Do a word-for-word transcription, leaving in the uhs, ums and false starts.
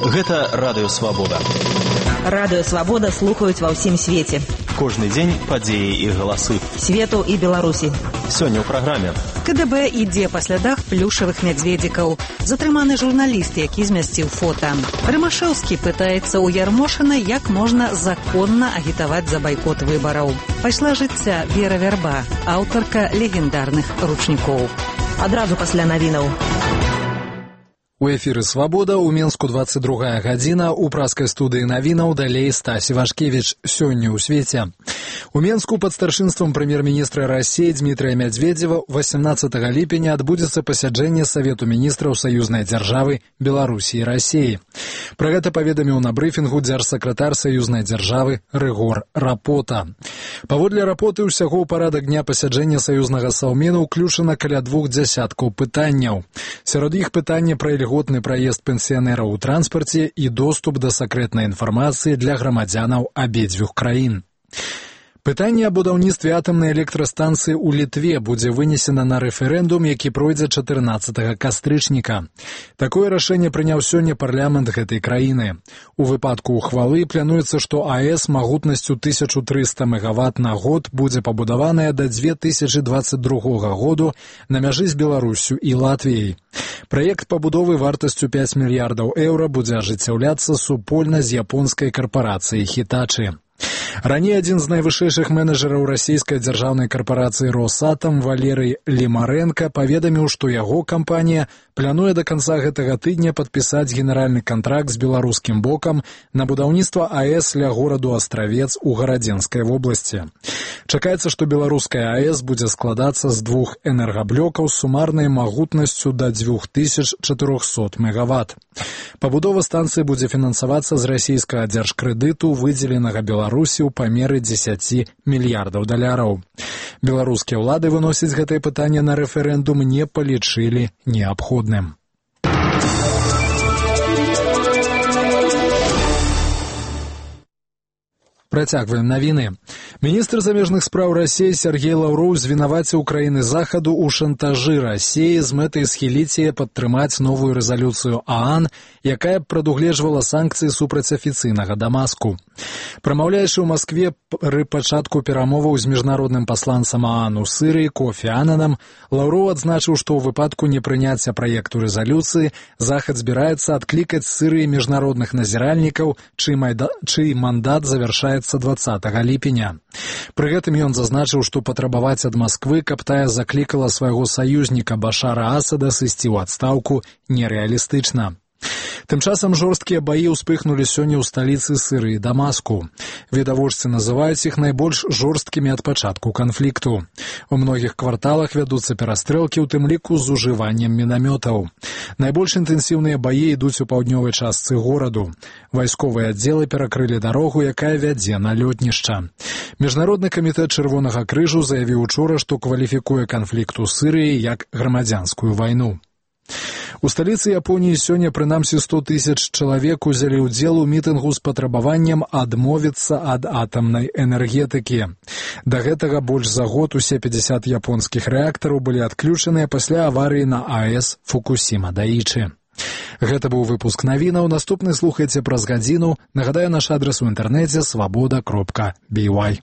Гэта Радыё Свабода. Радыё Свабода слухаюць ва ўсім свеце. Кожны дзень падзеі і галасы. Свету і Беларусі. Сёння ў праграме. КДБ ідзе па слядах плюшавых мядзведзікаў. Затрыманы журналіст, які змясціў фота. Рымашэўскі пытаецца ў Ярмошына, як можна законна агітаваць за байкот выбараў. Пайшла жыцця Вера Вярба, аўтарка легендарных ручнікоў. Адразу пасля навінаў. У эфіры «Свабода» у Менску двадцать другая гадзіна, у праскай студыі навінаў далей Стась Івашкевіч. Сёння ў свеце. У Менску пад старшынствам прэм'ер-міністра России Дмітрия Медведева восемнадцатага ліпеня адбудзецца пасяджэнне Савету міністраў саюзнай дзяржавы Беларусі і России. Пра гэта паведаміў на брыфінгу дзяржсакратар саюзнай дзяржавы Рыгор Рапота. Паводле Рапоты, ўсяго ў парадак дня пасяджэння саюзнага саўмену ўключана каля двух дзясяткаў пытанняў. Сярод іх пытання пра льготны праезд пенсіянераў у транспарце і доступ да сакрэтнай інфармацыі для грамадзянаў абедзвюх краін. Пытанне аб будаўніцтве атамнай электрастанцыі ў Літве будзе вынесена на рэферэндум, які пройдзе чатырнаццатага кастрычніка. Такое рашэнне прыняў сёння парламент гэтай краіны. У выпадку ўхвалы плануецца, што АЭС магутнасцю тысячу трыста мегаватт на год будзе пабудаваная да две тысячы дваццаць другога году на мяжы з Беларуссю і Латвіяй. Праект пабудовы вартасцю пяць мільярдаў еўра будзе ажыццяўляцца супольна з японскай карпарацыяй Хітачы. Раней адзін з найвышэйшых менеджераў расійскай дзяржаўнай карпарацыі «Росатом» Валерый Лімарэнка паведаміў, што яго кампанія плануе да канца гэтага тыдня падпісаць генеральны кантракт з беларускім бокам на будаўніцтва АЭС ля гораду Астравец у Гарадзенскай вобласці. Чакаецца, што беларуская АЭС будзе складацца з двух энергаблёкаў з сумарнай магутнасцю да дзвюх тысяч чатырохсот мегаватт. Пабудова станцыі будзе фінансавацца з расійскага дзяржкрэдыту, выдзеленага Беларусі ў памеры дзесяці мільярдаў даляраў. Беларускія ўлады выносіць гэтае пытанне на рэферэндум не палічылі неабходным. Працягваем навіны. Міністр замежных спраў Расіі Сергей Лаўроў звінаваціў краіны захаду ў шантажы Расіі з мэтай схіліць яе падтрымаць новую рэзалюцыю ААН, якая б прадугледжвала санкцыі супраць афіцыйнага Дамаску. Прамаўляючы ў Маскве пры пачатку перамоваў з міжнародным пасланцам ААН у Сырыі Кофі Ананам, Лаўроў адзначыў, што ў выпадку непрыняцця праекту рэзалюцыі захад збіраецца адклікаць з Сырыі міжнародных назіральнікаў, чый, майда... чый мандат завяршаецца дваццатага ліпеня. Пры гэтым ён зазначыў, што патрабаваць ад Масквы, каб тая заклікала свайго саюзніка Башара Асада сысці ў адстаўку, нерэалістычна. Тым часам жорсткія баі ўспыхнулі сёння ў сталіцы Сырыі Дамаску. Відавочцы называюць іх найбольш жорсткімі ад пачатку канфлікту. У многіх кварталах вядуцца перастрэлкі, у тым ліку з ужываннем мінамётаў. Найбольш інтэнсіўныя баі ідуць у паўднёвай частцы гораду. Вайсковыя аддзелы перакрылі дарогу, якая вядзе на лётнішча. Міжнародны камітэт Чырвонага крыжу заявіў учора, што кваліфікуе канфлікт у Сырыі як грамадзянскую вайну. У сталіцы Японіі сёння прынамсі сто тысяч чалавек узялі ўдзел у мітынгу з патрабаваннем адмовіцца ад атамнай энергетыкі. Да гэтага больш за год усе пятьдесят японскіх рэактараў былі адключаныя пасля аварыі на АЭС Фукусіма Даічы. Гэта быў выпуск навінаў. Наступны слухайце праз гадзіну. Нагадаю, наш адрас у інтэрнэце свабода кропка бі вай.